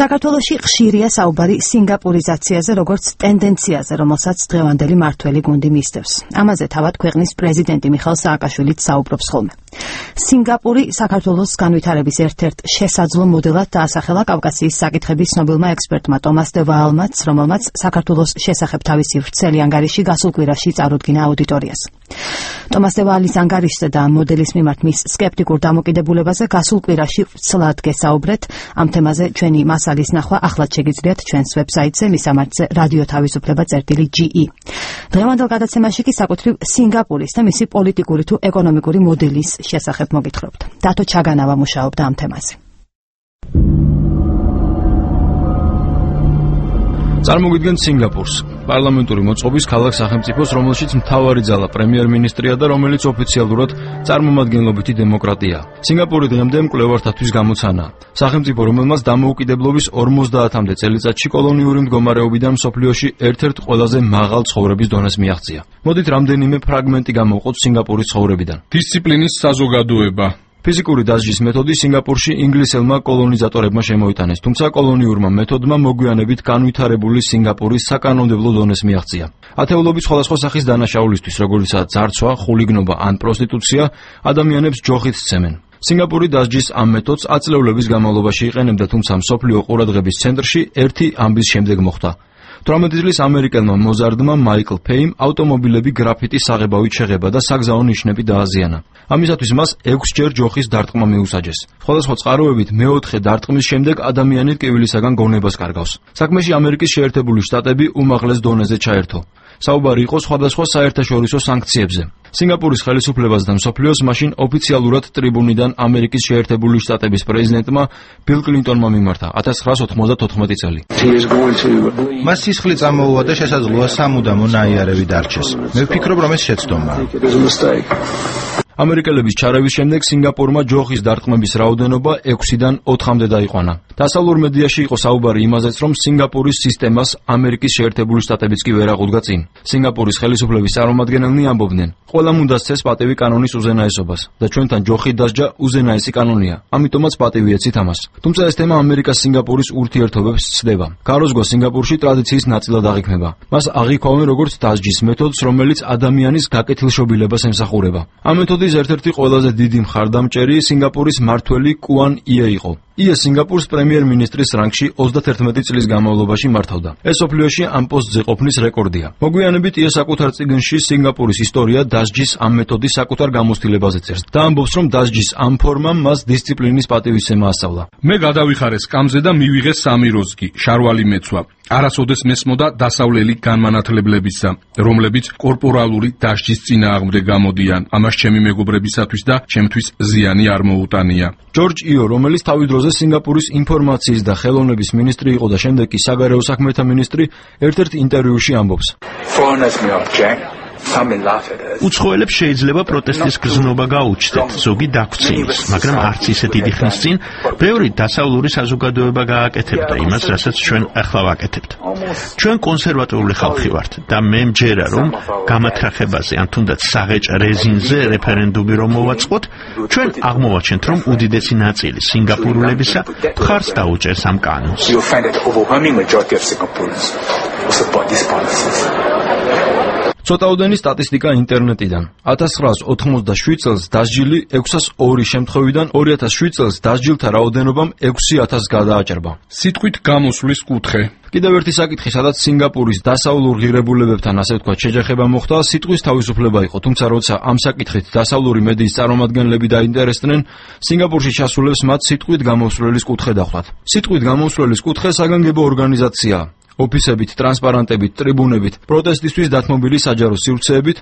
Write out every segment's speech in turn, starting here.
საქართველოში ხშირია საუბარი სინგაპურიზაციაზე, როგორც ტენდენციაზე, რომელსაც დღევანდელი მართველი გუნდი მისდევს. ამაზე თავად ქვეყნის პრეზიდენტი მიხეილ სააკაშვილიც საუბრობს ხოლმე. სინგაპური საქართველოს განვითარების ერთ-ერთ შესაძლო მოდელად დაასახელა კავკასიის საკითხების ცნობილმა ექსპერტმა ტომას დე ვაალმაც, რომელმაც საქართველოს შესახებ თავისი ვრცელი ანგარიში გასულ კვირაში წარუდგინა აუდიტორიას. ტომას დე ვაალის ანგარიშზე და ამ მოდელის მიმართ მის სკეპტიკურ დამოკიდებულებაზე გასულ კვირაში ვრცლად გესაუბრეთ. ამ თემაზე ჩვენი მასალის ნახვა ახლად შეგიძლიათ ჩვენს ვებსაიტზე, მისამართზე რადიო თავისუფლება.ge. დღევანდელ გადაცემაში კი საკუთრივ სინგაპურის და მისი პოლიტიკური თუ ეკონომიკური მოდელის შესახებ მოგითხრობთ. დათო ჩაგანავა მუშაობდა ამ თემაზე. წარმოგიდგენთ სინგაპურს, პარლამენტური მოწყობის ქალაქ სახელმწიფოს, რომელშიც მთავარი ძალა პრემიერ-მინისტრია და რომელიც ოფიციალურად წარმომადგენლობითი დემოკრატიაა. სინგაპური დღემდე მკვლევართათვის გამოცანაა. სახელმწიფო, რომელმაც დამოუკიდებლობის 50-მდე წელიწადში კოლონიური მდგომარეობიდან მსოფლიოში ერთ-ერთ ყველაზე მაღალ ცხოვრების დონეს მიაღწია. მოდით რამდენიმე ფრაგმენტი გამოვყოთ სინგაპურის ცხოვრებიდან. დისციპლინის საზოგადოება. ფიზიკური დასჯის მეთოდი სინგაპურში ინგლისელმა კოლონიზატორებმა შემოიტანეს, თუმცა კოლონიურმა მეთოდმა მოგვიანებით განვითარებული სინგაპურის საკანონმდებლო დონეს მიაღწია. ათეულობით სხვადასხვა სახის დანაშაულისთვის, როგორიცაა ძარცვა, ხულიგნობა ან პროსტიტუცია, ადამიანებს ჯოხით სცემენ. სინგაპური დასჯის ამ მეთოდს აწლევლების განმავლობაში იყენებდა, თუმცა მსოფლიო ყურადღების ცენტრში ერთი ამბის შემდეგ მოხვდა. 18 წლის ამერიკელმა მოზარდმა მაიკლ ფეიმ ავტომობილები გრაფიტის საღებავით შეღება და საგზაო ნიშნები დააზიანა. ამისათვის მას 6 ჯერ ჯოხის დარტყმა მიუსაჯეს. სხვადასხვა წყაროებით მეოთხე დარტყმის შემდეგ ადამიანი ტკივილისაგან გონებას კარგავს. საქმეში ამერიკის შეერთებული შტატები უმაღლეს დონეზე ჩაერთო. საუბარი იყო სხვადასხვა საერთაშორისო სანქციებზე. სინგაპურის ხელისუფლებას და მსოფლიოს მაშინ ოფიციალურად ტრიბუნიდან ამერიკის შეერთებული შტატების პრეზიდენტმა ბილ კლინტონმა მიმართა 1994 წელი. მას სისხლი წამოუვა და შესაძლოა სამუდამო ნაიარევი დარჩეს. მე ვფიქრობ, რომ ეს შეცდომაა. ამერიკელების ჩარევის შემდეგ სინგაპურმა ჯოხის დარტყმების რაოდენობა 6-დან 4-მდე დაიყვანა. დასავლურ მედიაში იყო საუბარი იმაზეც, რომ სინგაპურის სისტემას ამერიკის შეერთებული შტატებიც კი ვერ აღუდგა წინ. სინგაპურის ხელისუფლების წარმომადგენელნი ამბობდნენ, ყველამ უნდა სცეს პატივი კანონის უზენაესობას და ჩვენთან ჯოხით დასჯა უზენაესი კანონია, ამიტომაც პატივი ეცით ამას. თუმცა ეს თემა ამერიკა-სინგაპურის ურთიერთობებს ცდება. გაროზგვა სინგაპურში ტრადიციის ნაწილად აღიქმება. მას აღიქვამენ როგორც დასჯის მეთოდს, რომელიც ადამიანის გაკეთილშობილებას ემსახურება. ამ მეთოდის ერთ-ერთი ყველაზე დიდი მხარდამჭერი სინგაპურის მმართველი კუან ია იყო. ია სინგაპურს პრემიერ-მინისტრის რანგში 31 წლის განმავლობაში მართავდა. ეს სოფლიოში ამ პოსტზე ყოფნის რეკორდია. მოგვიანებით ია საკუთარ წიგნში სინგაპურის ისტორია დასჯის ამ მეთოდის საკუთარ გამოცდილებაზე წერს და ამბობს, რომ დასჯის ამ ფორმამ მას დისციპლინის პატივისცემა ასწავლა. მე გადავიხარე სკამზე და მივიღე 3 როზგი, შარვალი მეცვა. არასოდეს მესმოდა დასავლელი განმანათლებლებისა, რომლებიც კორპორალური დასჯის წინააღმდეგ გამოდიან. ამას ჩემი მეგობრებისათვის და ჩემთვის ზიანი არ მოუტანია. ჯორჯ იო, რომელიც თავის დროზე სინგაპურის ინფორმაციის და ხელოვნების მინისტრი იყო და შემდეგ კი საგარეო საქმეთა მინისტრი, ერთ-ერთ ინტერვიუში ამბობს. უცხოელებს შეიძლება პროტესტის გრძნობა გაუჩნდეთ, ზოგი დაგვწიოს, მაგრამ არც ისე დიდი ხნის წინ ბევრი დასავლური საზოგადოება გააკეთებდა იმას, რასაც ჩვენ ახლა ვაკეთებთ. ჩვენ კონსერვატიული ხალხი ვართ და მე მჯერა, რომ გამათრახებაზე ან თუნდაც საღეჭ რეზინზე რეფერენდუმი რომ მოვაწყოთ, ჩვენ აღმოვაჩენთ, რომ უდიდესი ნაწილი სინგაპურულებისა მხარს დაუჭერს ამ კანონს. ცოტაოდენი სტატისტიკა ინტერნეტიდან. 1987 წელს დასჯილი 602 შემთხვევიდან 2007 წელს დასჯილთა რაოდენობამ 6000 გადააჭრბა. სიტყვით გამოსვლის კუთხე. კიდევ ერთი საკითხი, სადაც სინგაპურის დასავლურ ღირებულებებთან ასე ვთქვათ შეჯახება მოხდა, სიტყვის თავისუფლება იყო, თუმცა როცა ამ საკითხით დასავლური მედიის წარმომადგენლები დაინტერესდნენ, სინგაპურში ჩასულებს მათ სიტყვით გამოსვლის კუთხე დახვდათ. სიტყვით გამოსვლის კუთხე საგანგებო ორგანიზაციაა. ოფისებით, ტრანსპარანტებით, ტრიბუნებით, პროტესტისთვის დათმობილი საჯარო სივრცეებით,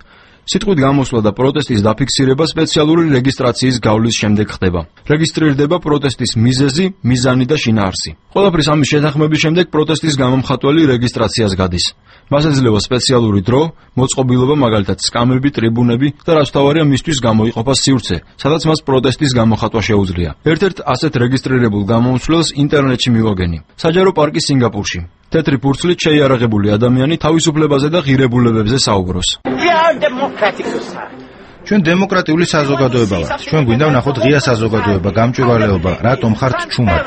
სიტყვით გამოსვლა და პროტესტის დაფიქსირება სპეციალური რეგისტრაციის გავლის შემდეგ ხდება. რეგისტრირდება პროტესტის მიზეზი, მიზანი და შინაარსი. ყველაფრის ამის შეთანხმების შემდეგ პროტესტის გამომხატველი რეგისტრაციას გადის. მას ეძლევა სპეციალური დრო, მოწყობილობა, მაგალითად სკამები, ტრიბუნები და რაც თავარია მისთვის გამოიყოფა სივრცე, სადაც მას პროტესტის გამოხატვა შეუძლია. ერთ-ერთ ასეთ რეგისტრირებულ გამომცვლელს ინტერნეტში მივაგენი. საჯარო პარკი სინგაპურში. თეთრი ფურცლით შეიარაღებული ადამიანი თავისუფლებაზე და ღირებულებებზე საუბრობს. ჩვენ დემოკრატიული საზოგადოება ვართ. ჩვენ გვინდა ვნახოთ ღია საზოგადოება, გამჭვირვალეობა, რატომ ხართ ჩუმად?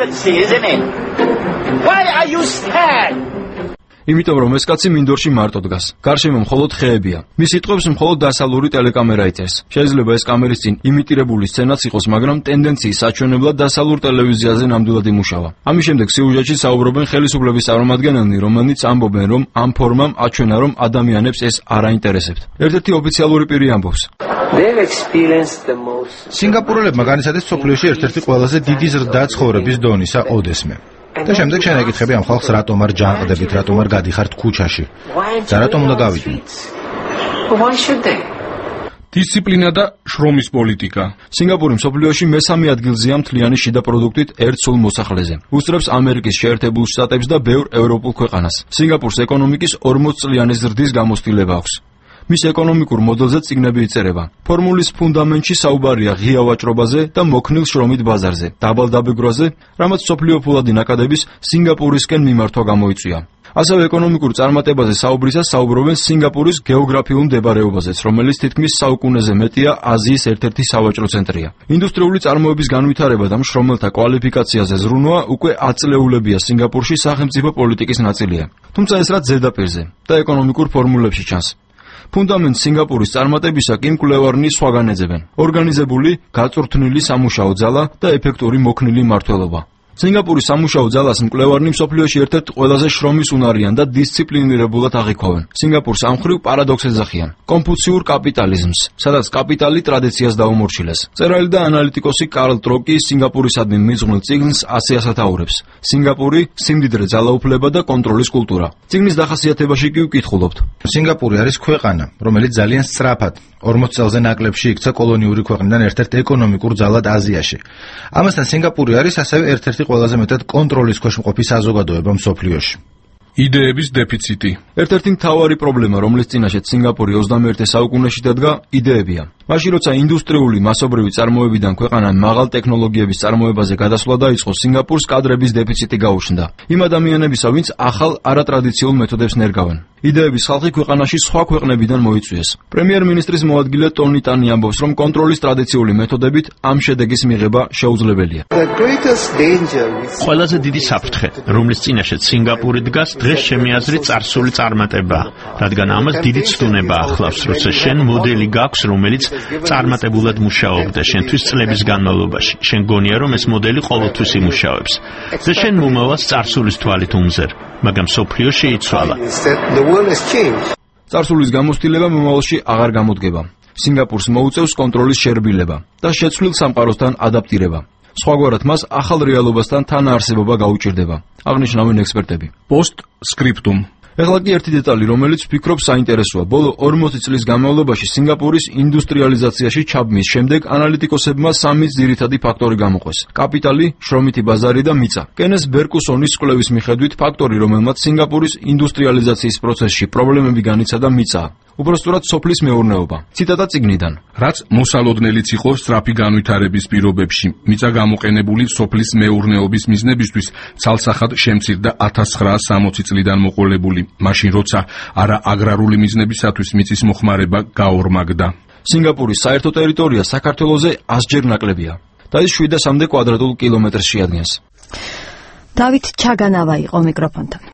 იმიტომ რომ ეს კაცი მინდორში მარტო დგას. გარშემო მხოლოდ ხეებია. მის სიტყვებს მხოლოდ დასავლური ტელეკამერა იწერს. შეიძლება ეს კამერის წინ იმიტირებული სცენაც იყოს, მაგრამ ტენდენციის საჩვენებლად დასავლურ ტელევიზიაზე ნამდვილად იმუშავა. ამის შემდეგ სიუჟეტში საუბრობენ ხელისუფლების წარმომადგენელნი, რომელნიც ამბობენ, რომ ამ ფორმამ აჩვენა, რომ ადამიანებს ეს არ აინტერესებთ. ერთ-ერთი ოფიციალური პირი ამბობს. სინგაპურელებმა განიცადეს სოფლიოში ერთ-ერთი ყველაზე დიდი ზრდა ცხოვრების დონისა ოდესმე. და შემდეგ შენ ეკითხები ამ ხალხს რატომ არ ჯანყდებით, რატომ არ გადიხართ ქუჩაში? და რატომ უნდა გავიდნენ? დისციპლინა და შრომის პოლიტიკა. სინგაპური მსოფლიოში მესამე ადგილზეა მთლიანი შიდა პროდუქტით ერთ სულ მოსახლეზე. უსწრებს ამერიკის შეერთებულ შტატებს და ბევრ ევროპულ ქვეყანას. სინგაპურს ეკონომიკის 40 წლიანი ზრდის გამოცდილება აქვს. მის ეკონომიკურ მოდელზე წიგნები იწერება. ფორმულის ფუნდამენტში საუბარია ღია ვაჭრობაზე და მოქნილ შრომით ბაზარზე, დაბალ დაბეგვრაზე, რამაც სოფლიო ფულადი ნაკადების სინგაპურისკენ მიმართვა გამოიწვია. ასევე ეკონომიკურ წარმატებაზე საუბრისას საუბრობენ სინგაპურის გეოგრაფიულ მდებარეობაზეც, რომელიც თითქმის საუკუნეზე მეტია აზიის ერთ-ერთი სავაჭრო ცენტრია. ინდუსტრიული წარმოების განვითარება და მშრომელთა კვალიფიკაციაზე ზრუნვა უკვე აწლეულებია სინგაპურში სახელმწიფო პოლიტიკის ნაწილია. თუმცა ეს რაც ზედაპირზე და ეკონომიკურ ფორმულებში ჩანს. ფუნდამენტ სინგაპურის წარმატებისა კი მკვლევარნი სხვაგან ეძებენ. ორგანიზებული, გაწვრთნილი სამუშაო ძალა და ეფექტური მოქნილი მმართველობა. სინგაპურის სამუშაო ძალას მკვლევარნი მსოფლიოში ერთ-ერთ ყველაზე შრომის უნარიან და დისციპლინირებულად აღიქვავენ. სინგაპურს ამ მხრივ პარადოქსს ეძახიან. კონფუციურ კაპიტალიზმს, სადაც კაპიტალი ტრადიციას დაუმორჩილეს. მწერალი და ანალიტიკოსი კარლ ტროკი სინგაპურისადმი მიძღვნილ წიგნს ასე ასათაურებს. სინგაპური, სიმდიდრე, ძალაუფლება და კონტროლის კულტურა. წიგნის დახასიათებაში კი ვკითხულობთ. სინგაპური არის ქვეყანა, რომელიც ძალიან სწრაფად 40 წელზე ნაკლებში იქცა კოლონიური ქვეყნიდან ერთ-ერთ ეკონომიკურ ძალად აზიაში. ამასთან სინგაპური არის ასევე ერთ-ერთი ყველაზე მეტად კონტროლის ქვეშ მყოფი საზოგადოება მსოფლიოში. იდეების დეფიციტი. ერთ-ერთი მთავარი პრობლემა, რომლის წინაშეც სინგაპური 21 საუკუნეში დადგა, იდეებია. მაშინ როცა ინდუსტრიული მასობრივი წარმოებიდან ქვეყანამ მაღალ ტექნოლოგიების წარმოებაზე გადასვლა დაიწყო, სინგაპურს კადრების დეფიციტი გაუჩნდა. იმ ადამიანებისა, ვინც ახალ არატრადიციულ მეთოდებს ნერგავენ. იდეების ხალხი ქვეყანაში სხვა ქვეყნებიდან მოიწვიეს. პრემიერ-მინისტრის მოადგილე ტონი ტანი ამბობს, რომ კონტროლის ტრადიციული მეთოდებით ამ შედეგის მიღება შეუძლებელია. ყველაზე დიდი საფრთხე, რომლის წინაშეც სინგაპური დგას, დღეს ჩემი აზრით წარსული წარმატებაა, რადგან ამას დიდი ცდუნება ახლავს, როცა შენ მოდელი გაქვს, რომელიც წარმატებულად მუშაობდა შენთვის წლების განმავლობაში. შენ გონია, რომ ეს მოდელი ყოველთვის იმუშავებს და შენ მომავალს წარსულის თვალით უმზერ, მაგრამ სოფლიო შეიცვალა. წარსულის გამოცდილება მომავალში აღარ გამოდგება. სინგაპურს მოუწევს კონტროლის შერბილება და შეცვლილ სამყაროსთან ადაპტირება. სხვაგვარად მას ახალ რეალობასთან თანაარსებობა გაუჭირდება, აღნიშნავენ ექსპერტები. პოსტსკრიპტუმ. ეხლა კი ერთი დეტალი, რომელიც ვფიქრობ საინტერესოა. ბოლო 40 წლის განმავლობაში სინგაპურის ინდუსტრიალიზაციაში ჩაბმის შემდეგ ანალიტიკოსებმა სამი ძირითადი ფაქტორი გამოყვეს: კაპიტალი, შრომითი ბაზარი და მიწა. კენეს ბერკუსონის კვლევის მიხედვით ფაქტორი, რომელმაც სინგაპურის ინდუსტრიალიზაციის პროცესში პრობლემები განიცადა, მიწაა. უბრალოდ სოფლის მეურნეობა. ციტატა წიგნიდან. რაც მოსალოდნელიც იყო სწრაფი განვითარების პირობებში, მიწა გამოყენებული სოფლის მეურნეობის მიზნებისთვის ცალსახად შემცირდა 1960 წლიდან მოყოლებული, მაშინ როცა არა აგრარული მიზნებისათვის მიწის მოხმარება გაორმაგდა. სინგაპურის საერთო ტერიტორია საქართველოზე 100-ჯერ ნაკლებია და ის 700 კვადრატულ კილომეტრს შეადგენს. დავით ჩაგანავა იყო მიკროფონთან.